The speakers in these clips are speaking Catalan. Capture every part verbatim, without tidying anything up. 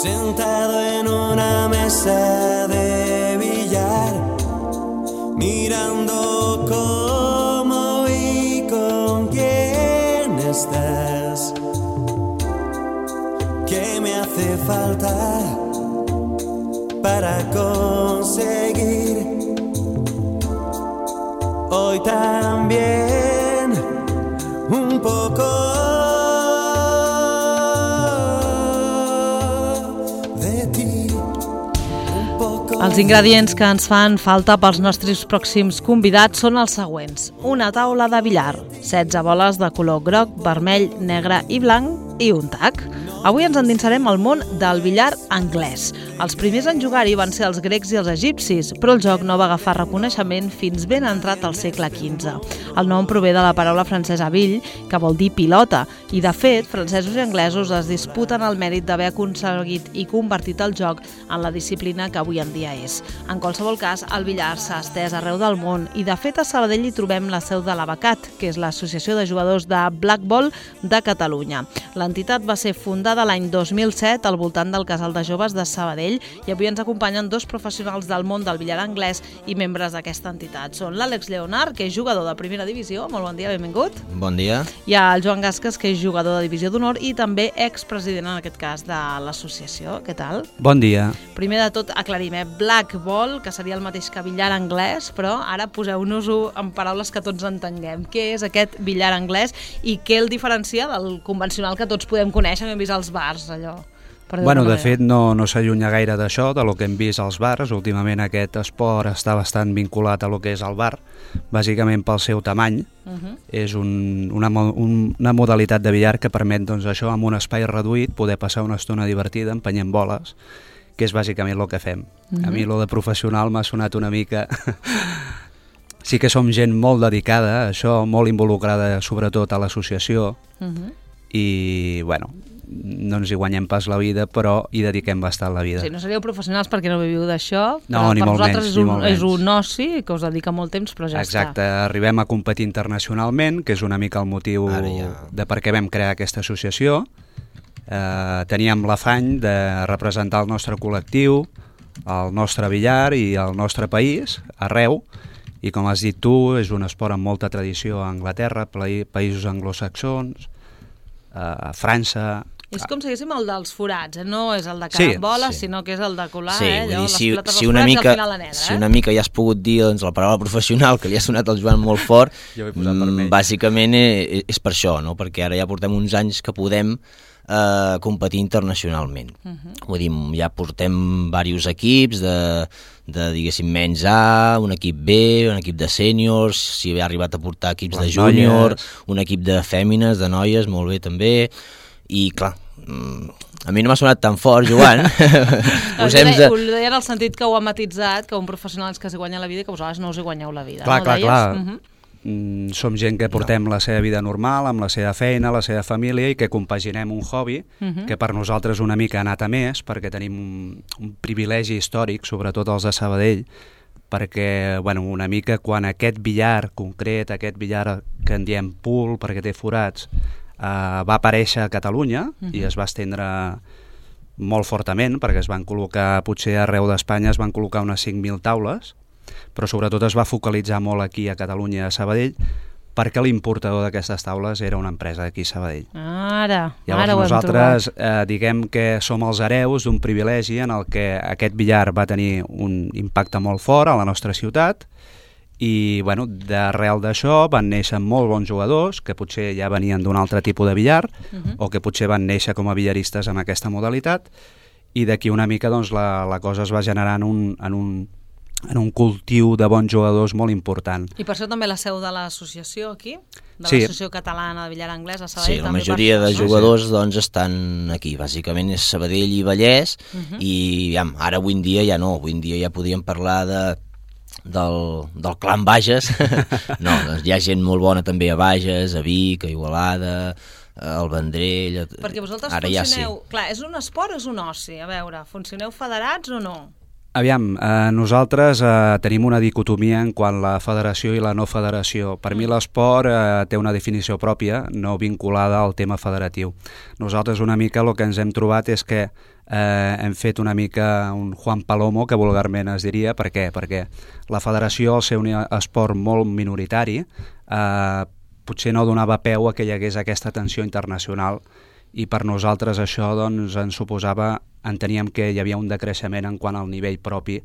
sentado en una mesa de billar, mirando cómo y con quién estás. ¿Qué me hace falta para conseguir hoy también un poco de ti? Un poco. Els ingredients que ens fan falta pels nostres pròxims convidats són els següents. Una taula de billar, setze boles de color groc, vermell, negre i blanc i un tac. Avui ens endinsarem al món del billar anglès. Els primers en jugar-hi van ser els grecs i els egipcis, però el joc no va agafar reconeixement fins ben entrat al segle quinze. El nom prové de la paraula francesa bill, que vol dir pilota, i de fet, francesos i anglesos es disputen el mèrit d'haver aconseguit i convertit el joc en la disciplina que avui en dia és. En qualsevol cas, el billar s'ha estès arreu del món i de fet a Sabadell hi trobem la seu de l'Abacat, que és l'Associació de Jugadors de Black Ball de Catalunya. L'entitat va ser fundada l'any dos mil set al voltant del Casal de Joves de Sabadell i avui ens acompanyen dos professionals del món del billar anglès i membres d'aquesta entitat. Són l'Àlex Leonard, que és jugador de primera divisió. Molt bon dia, benvingut. Bon dia. Hi ha el Joan Gasques, que és jugador de divisió d'honor i també expresident, en aquest cas, de l'associació. Què tal? Bon dia. Primer de tot, aclarim, eh? Black Ball, que seria el mateix que billar anglès, però ara poseu-nos-ho en paraules que tots entenguem. Què és aquest billar anglès i què el diferencia del convencional que tots podem conèixer, hem vist als bars, allò? Bueno, de fet, no, no s'allunya gaire d'això, de lo que hem vist als bars. Últimament aquest esport està bastant vinculat a lo que és el bar, bàsicament pel seu tamany. Uh-huh. És un, una, un, una modalitat de billar que permet, doncs, això, amb un espai reduït, poder passar una estona divertida empenyent boles, que és bàsicament el que fem. Uh-huh. A mi lo de professional m'ha sonat una mica... Sí que som gent molt dedicada a això, molt involucrada sobretot a l'associació, uh-huh. i, bueno, no ens hi guanyem pas la vida, però hi dediquem bastant la vida. Sí, no seríeu professionals perquè no viviu d'això, no, però ni per molt vosaltres menys, és, un, ni és un oci que us dedica molt temps, però ja Exacte, està. Arribem a competir internacionalment, que és una mica el motiu ja... de per què vam crear aquesta associació. Eh, teníem l'afany de representar el nostre col·lectiu, el nostre billar i el nostre país, arreu, i com has dit tu, és un esport amb molta tradició a Anglaterra, països anglosaxons, a França... És com si haguéssim el dels forats, eh? No és el de carambola, sí, sinó que és el de colar, sí, eh? Allò, dir, si, les si una mica, mica, al final la negra, si eh? una mica ja has pogut dir, doncs, la paraula professional, que li ha sonat al Joan molt fort, mm, bàsicament és, és per això, no? Perquè ara ja portem uns anys que podem eh, competir internacionalment. Uh-huh. Vull dir, ja portem diversos equips de, de, diguéssim, menys A, un equip B, un equip de sèniors, si ha arribat a portar equips Les de júnior, noies. Un equip de fèmines, de noies, molt bé també, i clar, a mi no m'ha sonat tan fort, Joan. Posem de... Ho deia en el sentit que ho ha matitzat, que un professional és que s'hi guanya la vida i que vosaltres no us hi guanyeu la vida. Clar, no clar, clar. Uh-huh. Mm, som gent que portem no. la seva vida normal, amb la seva feina, la seva família, i que compaginem un hobby uh-huh. que per nosaltres una mica ha anat a més, perquè tenim un, un privilegi històric, sobretot els de Sabadell, perquè, bueno, una mica quan aquest billar concret, aquest billar que en diem pool, perquè té forats, Uh, va aparèixer a Catalunya uh-huh. i es va estendre molt fortament, perquè es van col·locar, potser arreu d'Espanya es van col·locar unes cinc mil taules, però sobretot es va focalitzar molt aquí a Catalunya, a Sabadell, perquè l'importador d'aquestes taules era una empresa d'aquí a Sabadell. Ara, Llavors ara ho hem nosaltres trobat. eh, diguem que som els hereus d'un privilegi en el que aquest billar va tenir un impacte molt fort a la nostra ciutat, i bueno, d'arrel d'això van néixer molt bons jugadors que potser ja venien d'un altre tipus de billar uh-huh. o que potser van néixer com a billaristes amb aquesta modalitat, i d'aquí una mica doncs, la, la cosa es va generar en un, en, un, en un cultiu de bons jugadors molt important. I per això també la seu de l'associació aquí? De sí. l'Associació Catalana de Billar Anglès a Sabadell? Sí, la majoria de jugadors doncs, estan aquí, bàsicament és Sabadell i Vallès, uh-huh. i ja, ara avui en dia ja no, avui en dia ja podíem parlar de Del, del clan Bages. No, doncs hi ha gent molt bona també a Bages, a Vic, a Igualada, al Vendrell. Perquè vosaltres ara funcioneu... Ja sí. Clar, és un esport o és un oci? A veure, funcioneu federats o no? Aviam, eh, nosaltres eh, tenim una dicotomia en quant a la federació i la no federació. Per mm. mi l'esport eh, té una definició pròpia, no vinculada al tema federatiu. Nosaltres una mica el que ens hem trobat és que eh, hem fet una mica un Juan Palomo, que vulgarment es diria. Per què? Perquè la federació, al ser un esport molt minoritari, eh, potser no donava peu a que hi hagués aquesta atenció internacional, i per nosaltres això doncs, ens suposava, enteníem que hi havia un decreixement en quant al nivell propi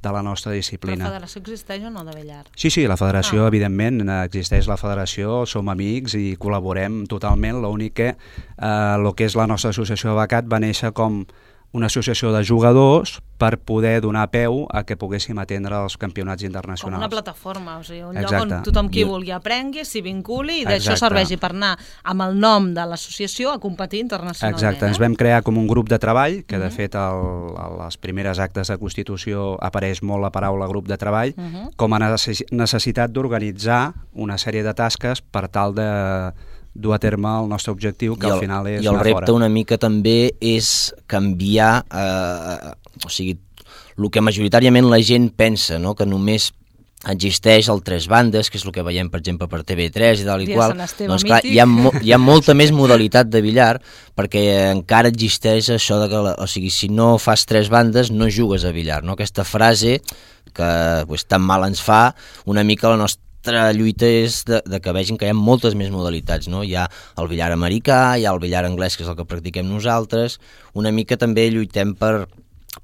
de la nostra disciplina. La federació existeix o no, de billar? Sí, sí, la federació, ah. evidentment, existeix la federació, som amics i col·laborem totalment. L'únic que eh, el que és la nostra associació de becat va néixer com una associació de jugadors per poder donar peu a que poguéssim atendre els campionats internacionals. Com una plataforma, o sigui, un Exacte. lloc on tothom qui vulgui aprengui, s'hi vinculi i d'això serveixi per anar amb el nom de l'associació a competir internacionalment. Exacte, eh? ens vam crear com un grup de treball, que uh -huh. de fet el, a les primeres actes de Constitució apareix molt la paraula grup de treball, uh -huh. com a necessitat d'organitzar una sèrie de tasques per tal de dur a terme el nostre objectiu, que el, al final és i el anar repte fora. Una mica també és canviar, eh, o sigui, el que majoritàriament la gent pensa, no? Que només existeix el tres bandes, que és el que veiem, per exemple, per T V tres i tal i Dia qual. Sant Esteve Doncs clar, mític. hi ha, mo hi ha molta més modalitat de billar, perquè encara existeix això de que, la, o sigui, si no fas tres bandes no jugues a billar, no? Aquesta frase que pues, tan mal ens fa, una mica la nostra La lluita és de, de que vegin que hi ha moltes més modalitats, no? Hi ha el billar americà, hi ha el billar anglès, que és el que practiquem nosaltres, una mica també lluitem per,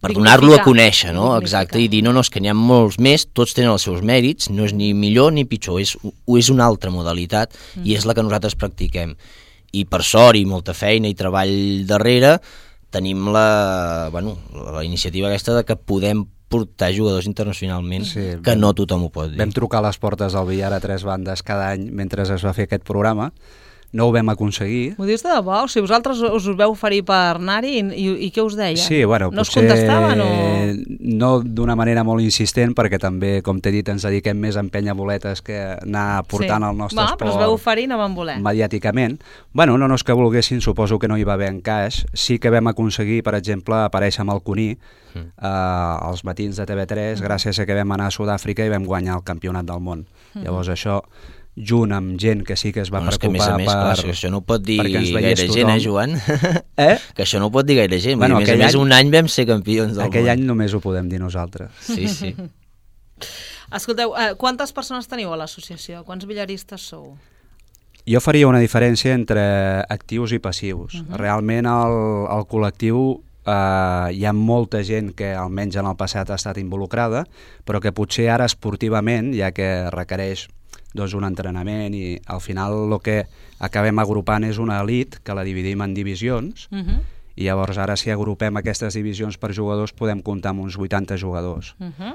per donar-lo a conèixer, no? Dignificar. Exacte, i dir, no, no, és que n'hi ha molts més, tots tenen els seus mèrits, no és ni millor ni pitjor, és, és una altra modalitat mm. i és la que nosaltres practiquem. I per sort i molta feina i treball darrere, tenim la, bueno, la iniciativa aquesta de que podem portar jugadors internacionalment, sí, que vam, no tothom ho pot dir. Vam trucar a les portes del billar a tres bandes cada any mentre es va fer aquest programa. No ho vam aconseguir. M'ho dius de debò? O sigui, vosaltres us veu oferir per anar-hi i, i, i què us deia? Sí, bueno, no potser us contestaven o...? No d'una manera molt insistent, perquè també, com t'he dit, ens dediquem més a empènyer boletes que anar portant sí. el nostre Va, esport. Però us veu oferir i no van voler. Mediàticament. Bueno, no, no és que volguessin, suposo que no hi va haver encaix. Sí que vam aconseguir, per exemple, aparèixer amb el Cuní mm. eh, als matins de T V tres, mm. gràcies a que vam anar a Sud-àfrica i vam guanyar el campionat del món. Mm. Llavors això, junt amb gent que sí que es va no, preocupar que, a més a més, per... Clar, que això no ho pot dir gaire tothom. gent, eh, Joan? Eh? Que això no ho pot dir gaire gent. Bueno, a més a més, any, un any vam ser campions del aquell món. any només ho podem dir nosaltres. Sí, sí. Escolteu, eh, quantes persones teniu a l'associació? Quants billaristes sou? Jo faria una diferència entre actius i passius. Uh -huh. Realment el, el col·lectiu eh, hi ha molta gent que almenys en el passat ha estat involucrada, però que potser ara esportivament, ja que requereix doncs, un entrenament i al final el que acabem agrupant és una elit que la dividim en divisions uh -huh. i llavors ara si agrupem aquestes divisions per jugadors podem comptar amb uns vuitanta jugadors. Uh -huh.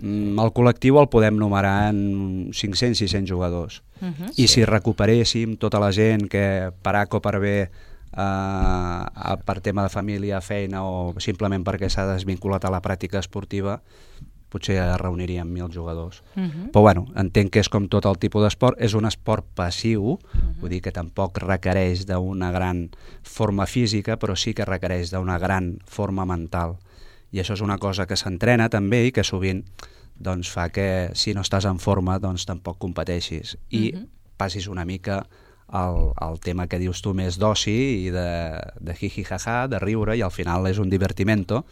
El col·lectiu el podem numerar en cinc-cents a sis-cents jugadors. Uh -huh. I si recuperéssim tota la gent que per A o per B, eh, per tema de família, feina o simplement perquè s'ha desvinculat a la pràctica esportiva, potser reuniríem mil jugadors. Uh -huh. Però bueno, entenc que és com tot el tipus d'esport, és un esport passiu, uh -huh. vull dir que tampoc requereix d'una gran forma física, però sí que requereix d'una gran forma mental. I això és una cosa que s'entrena també i que sovint doncs, fa que si no estàs en forma doncs tampoc competeixis i uh -huh. passis una mica al, al tema que dius tu més d'oci i de, de jiji-jaja, de riure, i al final és un divertimento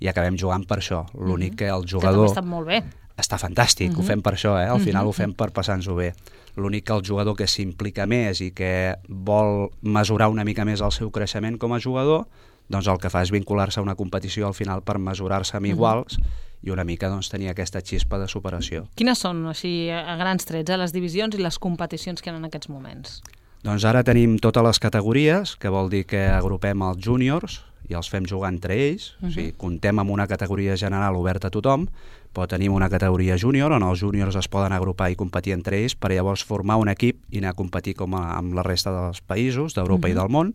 i acabem jugant per això. L'únic uh -huh. que el jugador... Que també està molt bé. Està fantàstic, uh -huh. ho fem per això, eh? Al final uh -huh. ho fem per passar-nos-ho bé. L'únic que el jugador que s'implica més i que vol mesurar una mica més el seu creixement com a jugador, doncs el que fa és vincular-se a una competició al final per mesurar-se amb iguals uh -huh. i una mica doncs, tenir aquesta xispa de superació. Quines són, així, a grans trets, eh, les divisions i les competicions que hi ha en aquests moments? Doncs ara tenim totes les categories, que vol dir que agrupem els júniors i els fem jugar entre ells, uh -huh. o sigui, comptem amb una categoria general oberta a tothom, però tenim una categoria júnior on els júniors es poden agrupar i competir entre ells per llavors formar un equip i anar a competir com a, amb la resta dels països d'Europa uh -huh. i del món.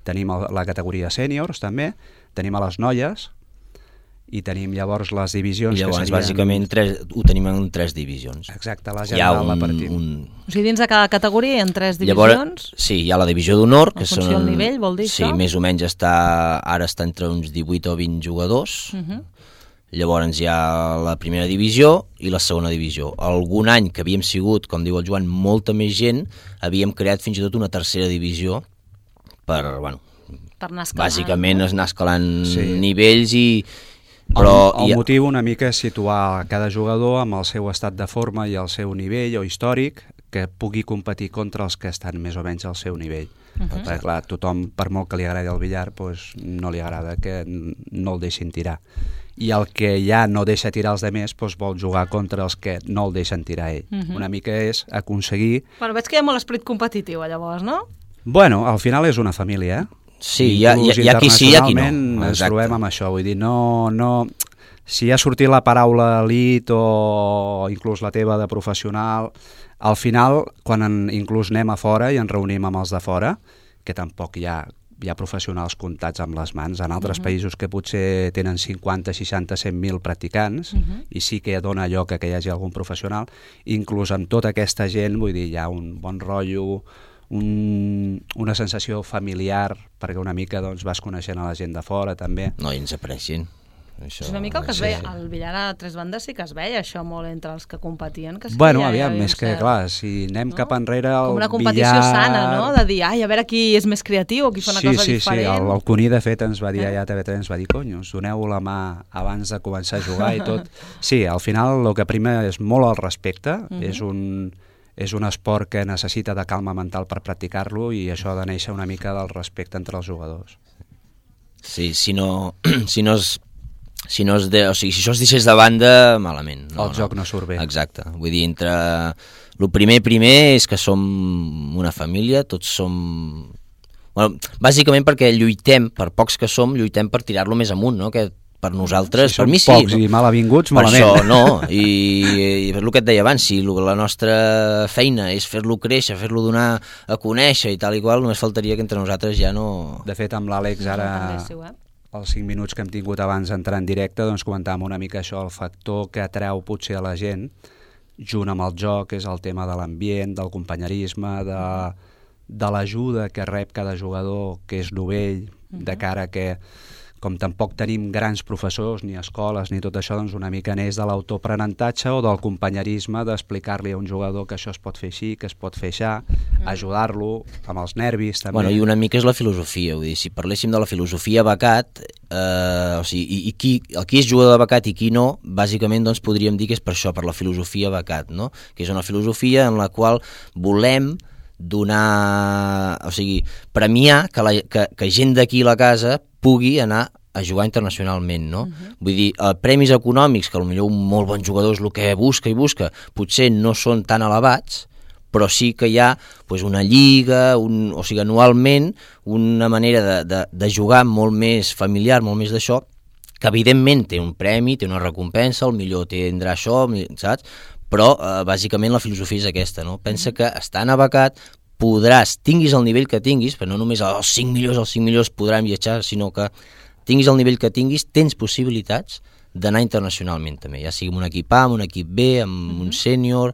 Tenim la categoria sèniors també, tenim a les noies i tenim llavors les divisions... I llavors, que serien... bàsicament, tres, ho tenim en tres divisions. Exacte, la general la partim. Un... O sigui, dins de cada categoria hi ha tres divisions? Llavors, sí, hi ha la divisió d'honor, que són... En funció del nivell, vol dir sí, això? Sí, més o menys està, ara està entre uns divuit o vint jugadors. Uh -huh. Llavors hi ha la primera divisió i la segona divisió. Algun any que havíem sigut, com diu el Joan, molta més gent, havíem creat fins i tot una tercera divisió per, bueno, Per anar escalant. Bàsicament no? és anar escalant Sí. nivells i... Però el, el hi ha- motiu una mica és situar cada jugador amb el seu estat de forma i el seu nivell o històric que pugui competir contra els que estan més o menys al seu nivell. Uh -huh. Perquè clar, tothom, per molt que li agradi el billar, doncs no li agrada que no el deixin tirar. I el que ja no deixa tirar els demés doncs vol jugar contra els que no el deixen tirar ell. Uh -huh. Una mica és aconseguir... Bueno, veig que hi ha molt esperit competitiu, llavors, no? Bueno, al final és una família, eh? Sí, hi ha, hi, ha, hi ha qui sí, hi ha qui no. Internacionalment ens trobem amb això, vull dir, no, no, si ha sortit la paraula elit o inclús la teva de professional, al final, quan en, inclús anem a fora i ens reunim amb els de fora, que tampoc hi ha, hi ha professionals comptats amb les mans, en altres uh -huh. països que potser tenen cinquanta, seixanta, cent mil practicants, uh -huh. i sí que dona lloc a que hi hagi algun professional, inclús amb tota aquesta gent, vull dir, hi ha un bon rotllo, Un, una sensació familiar, perquè una mica doncs, vas coneixent a la gent de fora també. No, i ens aprecien. Això, És una mica el que es sí. veia, al billar a tres bandes sí que es veia això molt entre els que competien. Que sí bueno, que aviam, hi més que, cert, clar, si anem no? cap enrere el com una competició billar... sana, no? De dir, ai, a veure qui és més creatiu o qui fa una sí, cosa sí, diferent. Sí, el, el Cuní, de fet, ens va dir Eh? allà a T V tres, ens va dir, conyo, us doneu la mà abans de començar a jugar i tot. Sí, al final el que prima és molt el respecte, uh -huh. és un... és un esport que necessita de calma mental per practicar-lo i això ha de néixer una mica del respecte entre els jugadors. Sí, si no, si no es, si no es de, o sigui, si això es deixés de banda, malament. No, el no. joc no surt bé. Exacte. Vull dir, entre... El primer primer és que som una família, tots som... Bueno, bàsicament perquè lluitem, per pocs que som, lluitem per tirar-lo més amunt, no? Que per nosaltres, si per mi sí. pocs no? I malavinguts, per malament. això, no. I, I és el que et deia abans, si la nostra feina és fer-lo créixer, fer-lo donar a conèixer i tal i qual, només faltaria que entre nosaltres ja no... De fet, amb l'Àlex ara, eh? els cinc minuts que hem tingut abans d'entrar en directe, doncs comentàvem una mica això, el factor que atreu potser a la gent, junt amb el joc, és el tema de l'ambient, del companyerisme, de, de l'ajuda que rep cada jugador que és novell, de cara que... com tampoc tenim grans professors, ni escoles, ni tot això, doncs una mica neix de l'autoaprenentatge o del companyerisme, d'explicar-li a un jugador que això es pot fer així, que es pot fer això, mm. ajudar-lo amb els nervis també. Bueno, i una mica és la filosofia, vull dir, si parléssim de la filosofia becat, eh, o sigui, i, i qui, el qui és jugador de becat i qui no, bàsicament doncs podríem dir que és per això, per la filosofia becat, no? Que és una filosofia en la qual volem donar, o sigui, premiar que, la, que, que gent d'aquí a la casa pugui anar a jugar internacionalment, no? Uh-huh. Vull dir, eh, premis econòmics, que potser un molt bon jugador és el que busca i busca, potser no són tan elevats, però sí que hi ha pues, una lliga, un, o sigui, anualment, una manera de, de, de jugar molt més familiar, molt més d'això, que evidentment té un premi, té una recompensa, el millor tindrà això, saps? Però eh, bàsicament la filosofia és aquesta, no? Pensa que estant a becat podràs, tinguis el nivell que tinguis, però no només els cinc millors, els cinc millors podran viatjar, sinó que tinguis el nivell que tinguis, tens possibilitats d'anar internacionalment també, ja sigui amb un equip A, amb un equip B, amb uh-huh. un sènior,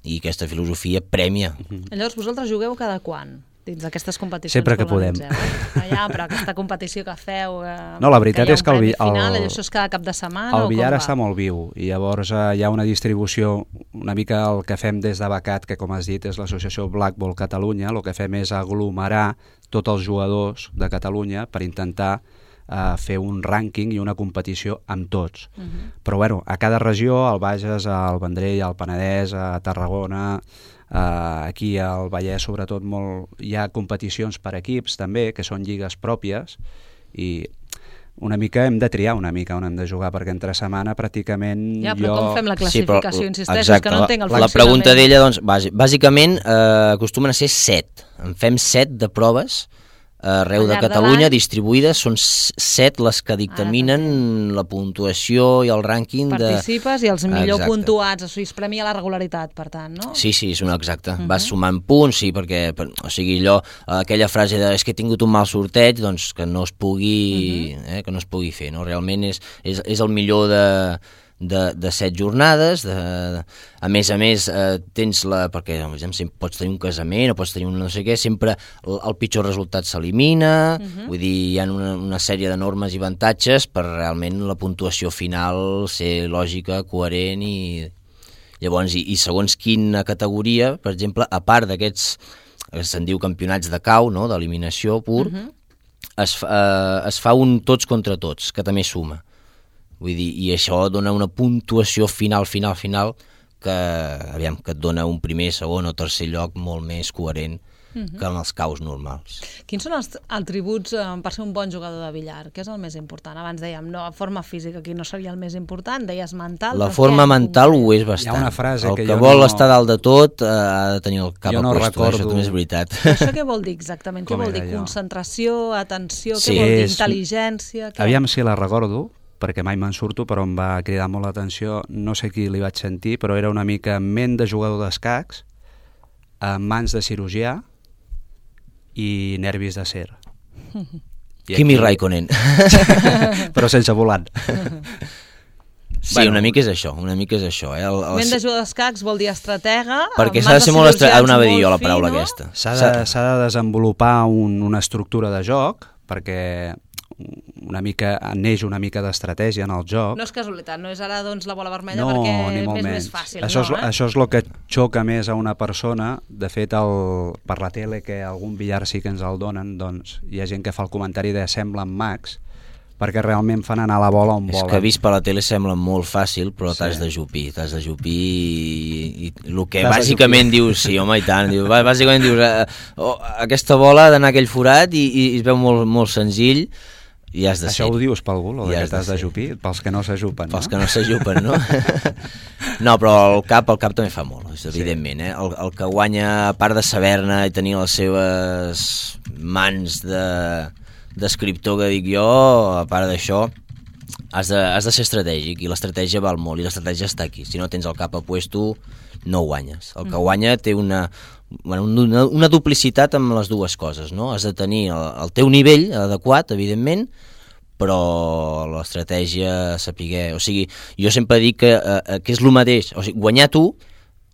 i aquesta filosofia prèmia. Uh-huh. Llavors, vosaltres jugueu cada quan? Dins d'aquestes competicions? Sempre que podem. Ah, ja, però aquesta competició que feu... Eh, no, la veritat que és que el, final, el, això és cada cap de setmana? El billar està molt viu i llavors eh, hi ha una distribució, una mica el que fem des de Becat, que com has dit és l'associació Black Ball Catalunya, el que fem és aglomerar tots els jugadors de Catalunya per intentar eh, fer un rànquing i una competició amb tots. Uh-huh. Però bueno, a cada regió, al Bages, al Vendrell, al Penedès, a Tarragona... Uh, aquí al Vallès sobretot molt, hi ha competicions per equips també, que són lligues pròpies i una mica hem de triar una mica on hem de jugar, perquè entre setmana pràcticament ja, però jo... com fem la classificació? Sí, però, insisteixo, exacte, que no entenc el la, la pregunta d'ella, doncs, bàsicament eh, acostumen a ser set, en fem set de proves arreu de Catalunya, distribuïdes, són set les que dictaminen ah, la puntuació i el rànquing de... Participes i els millor exacte. Puntuats, o sigui, es premia la regularitat, per tant, no? Sí, sí, és un exacte. Uh-huh. Vas sumant punts, sí, perquè, per, o sigui, allò, aquella frase de és que he tingut un mal sorteig, doncs que no es pugui, uh-huh. eh, que no es pugui fer, no? Realment és, és, és el millor de... De, de set jornades, de, de, a més a més eh, tens la, perquè exemple, pots tenir un casament o pots tenir un no sé què, sempre el, el pitjor resultat s'elimina, uh-huh. vull dir, hi ha una, una sèrie de normes i avantatges per realment la puntuació final ser lògica, coherent i llavors, i, i segons quina categoria, per exemple, a part d'aquests, se'n diu campionats de cau, no?, d'eliminació pur, uh-huh. es fa, eh, es fa un tots contra tots, que també suma. Vull dir, i això dona una puntuació final, final, final, que, aviam, que et dona un primer, segon o tercer lloc molt més coherent uh-huh. que en els caus normals. Quins són els atributs eh, per ser un bon jugador de billar? Què és el més important? Abans dèiem, no, forma física aquí no seria el més important, deies mental... La forma mental ho és bastant. Hi ha una frase el que, que jo vol no... estar dalt de tot eh, ha de tenir el cap jo a no puesto, recordo... això també és veritat. Això què vol dir exactament? Què vol dir? allò? Concentració, atenció, Sí, què vol dir? és... Intel·ligència? Què? Aviam si la recordo, perquè mai me'n surto, però em va cridar molt l'atenció, no sé qui li vaig sentir, però era una mica ment de jugador d'escacs, amb mans de cirurgià i nervis d'acer. Kimi Raikkonen. Però sense volant. Sí, bueno, una mica és això, una mica és això. Eh? El, el... Ment de jugador d'escacs vol dir estratega... Perquè s'ha de ser molt estratega, anava a dir jo la paraula fi, no? aquesta. S'ha de, s'ha de desenvolupar un, una estructura de joc, perquè una mica neix una mica d'estratègia en el joc. No és casualitat, no és ara doncs la bola vermella no, perquè ni molt és menys. més fàcil. Això, no, és, eh? això és el que xoca més a una persona. De fet, el, per la tele, que algun billar sí que ens el donen, doncs hi ha gent que fa el comentari de semblen mags, perquè realment fan anar la bola on És volen. que vist per la tele sembla molt fàcil, però Sí. t'has de jupir, t'has de jupir i, i el que T'has de bàsicament dius, sí, home, i tant, diu, bàsicament dius, eh, oh, aquesta bola ha d'anar a aquell forat i, i, i es veu molt, molt senzill, i has de Això ser. ho dius per algú, el I que has de t'has de ser. jupir? Pels que no s'ajupen, no? Pels que no s'ajupen, no? No, però el cap, el cap també fa molt, és evidentment, eh? El, el que guanya, a part de saber-ne i tenir les seves mans de d'escriptor, que dic jo, a part d'això, has de, has de ser estratègic, i l'estratègia val molt, i l'estratègia està aquí. Si no tens el cap a puesto, no guanyes. El que guanya té una, bueno, una, una duplicitat amb les dues coses, no? Has de tenir el, el teu nivell adequat, evidentment, però l'estratègia sapiguer... O sigui, jo sempre dic que, eh, que és el mateix, o sigui, guanyar tu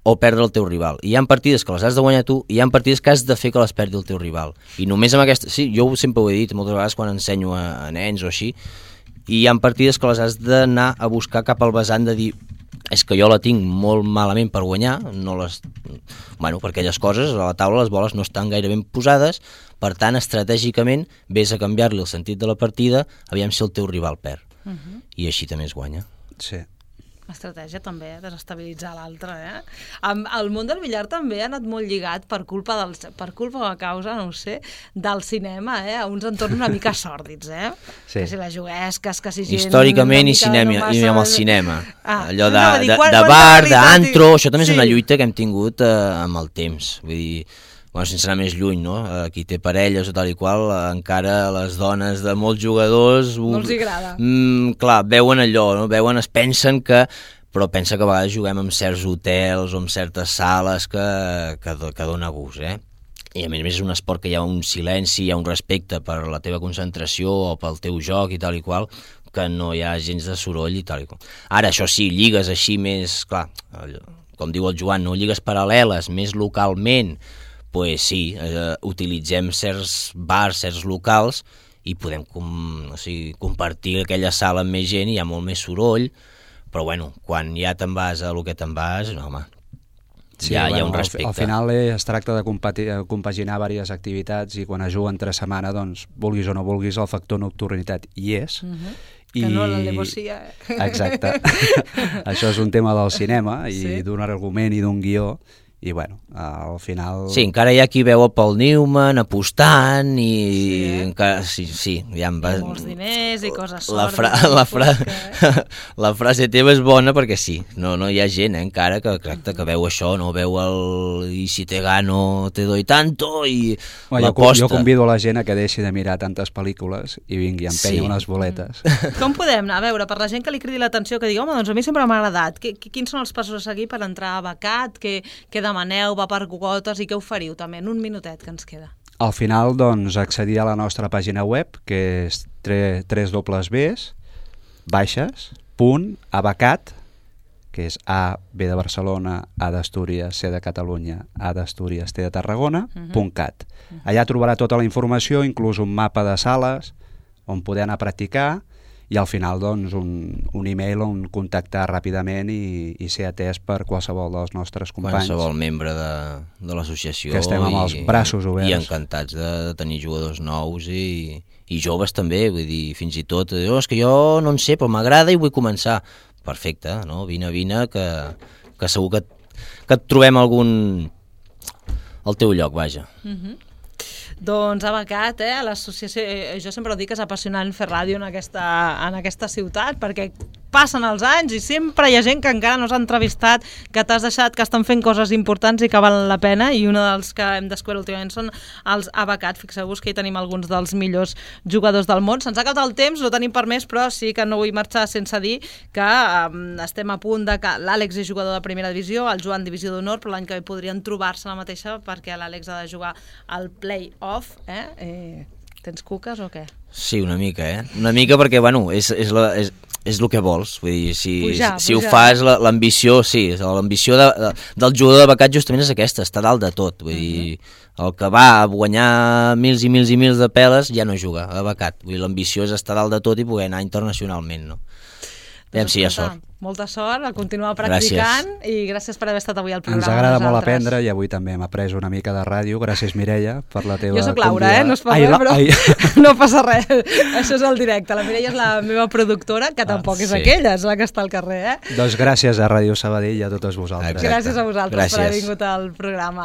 o perdre el teu rival. I hi ha partides que les has de guanyar tu i hi ha partides que has de fer que les perdi el teu rival. I només amb aquesta... Sí, jo sempre ho he dit moltes vegades quan ensenyo a, a nens o així, i hi ha partides que les has d'anar a buscar cap al vessant de dir és que jo la tinc molt malament per guanyar, no les... bueno, per aquelles coses, a la taula les boles no estan gaire ben posades, per tant, estratègicament, vés a canviar-li el sentit de la partida, aviam si el teu rival perd. Uh -huh. I així també es guanya. Sí. Estratègia també, desestabilitzar l'altre, eh? El món del billar també ha anat molt lligat per culpa del, per culpa o a causa, no ho sé, del cinema, eh? A uns entorns una mica sòrdids, eh? Sí. Que si la juguesques, que si gent... Històricament i, mica cinema, no massa... i amb el cinema. Ah, Allò de, no, de, dir, quan, de quan bar, realitat... d'antro, això també sí. és una lluita que hem tingut eh, amb el temps. Vull dir, bueno, sense anar més lluny, no? Qui té parelles o tal i qual, encara les dones de molts jugadors... No els agrada. Mm, clar, veuen allò, no? Veuen, es pensen que... Però pensa que a vegades juguem en certs hotels o en certes sales que, que, que dona gust, eh? I a més a més és un esport que hi ha un silenci, hi ha un respecte per la teva concentració o pel teu joc i tal i qual, que no hi ha gens de soroll i tal i qual. Ara, això sí, lligues així més, clar, com diu el Joan, no lligues paral·leles, més localment, pues sí, eh, utilitzem certs bars, certs locals i podem com, o sigui, compartir aquella sala amb més gent i hi ha molt més soroll, però bueno, quan ja te'n vas a lo que te'n vas, no, home, Sí, ja bueno, hi ha un respecte. Al, al final es tracta de compati- compaginar diverses activitats i quan es juga entre setmana, doncs, vulguis o no vulguis, el factor nocturnitat hi és. Uh -huh. I... Que no l'alevocia. Exacte. Això és un tema del cinema i Sí. d'un argument i d'un guió. I bueno, al final... Sí, encara hi ha qui veu a Paul Newman apostant i... Sí, eh? encara, sí, sí, ja em va... I molts diners i coses la, sòrdides. fra... la, fra... Que... la frase teva és bona perquè sí, no, no hi ha gent eh, encara que, exacte, que veu això, no veu el i si te gano te doy tanto i bueno, l'aposta. Jo convido a la gent a que deixi de mirar tantes pel·lícules i vingui a empènyer Sí. unes boletes. Com podem anar a veure, per la gent que li cridi l'atenció, que digui, home, doncs a mi sempre m'ha agradat, que, que, quins són els passos a seguir per entrar a becat, que, que demaneu, va per quotes i què oferiu també, en un minutet que ens queda? Al final, doncs, accedir a la nostra pàgina web, que és w w w baixes punt abacat, que és A, B de Barcelona, A d'Astúries, C de Catalunya, A d'Astúries, T de Tarragona, uh-huh. punt cat. Uh-huh. Allà trobarà tota la informació, inclús un mapa de sales on poder anar a practicar, i al final doncs, un, un e-mail on contactar ràpidament i, i ser atès per qualsevol dels nostres companys. Qualsevol membre de, de l'associació. Que estem amb els braços oberts. I encantats de, de tenir jugadors nous i, i joves també, vull dir, fins i tot, oh, és que jo no en sé, però m'agrada i vull començar. Perfecte, no? Vine, vine, que, que segur que, que et trobem algun... al teu lloc, vaja. Mhm. Doncs Abacat, eh, l'associació, jo sempre ho dic que és apassionant fer ràdio en aquesta, en aquesta ciutat, perquè passen els anys i sempre hi ha gent que encara no s'ha entrevistat, que t'has deixat, que estan fent coses importants i que valen la pena, i un dels que hem descobert últimament són els Abacat. Fixeu-vos que hi tenim alguns dels millors jugadors del món. Se'ns ha acabat el temps, no tenim per més, però sí que no vull marxar sense dir que um, estem a punt de que l'Àlex és jugador de primera divisió, el Joan divisió d'honor, però l'any que ve podrien trobar-se la mateixa perquè l'Àlex ha de jugar al play-off. Eh? Eh, tens cuques o què? Sí, una mica, eh? Una mica perquè, bueno, és, és, la, és, és el que vols. Vull dir, si, pujar, si pujar. Ho fas, l'ambició, sí, l'ambició de, de, del jugador de Becat justament és aquesta, està dalt de tot. Vull dir, el que va a guanyar mils i mils i mils de peles ja no juga a Becat. Vull dir, l'ambició és estar dalt de tot i poder anar internacionalment, no? Aviam si hi ha sort. Molta sort, a continuar practicant. Gràcies. I gràcies per haver estat avui al programa. Ens agrada molt aprendre i avui també hem après una mica de ràdio. Gràcies, Mireia, per la teva... Jo soc Laura, convida... eh? No es fa ai, res, però ai. No passa res. Això és el directe. La Mireia és la meva productora, que tampoc ah, és sí. aquella, és la que està al carrer, eh? Doncs gràcies a Ràdio Sabadell i a totes vosaltres. Exacte. Gràcies a vosaltres gràcies. Per haver vingut al programa.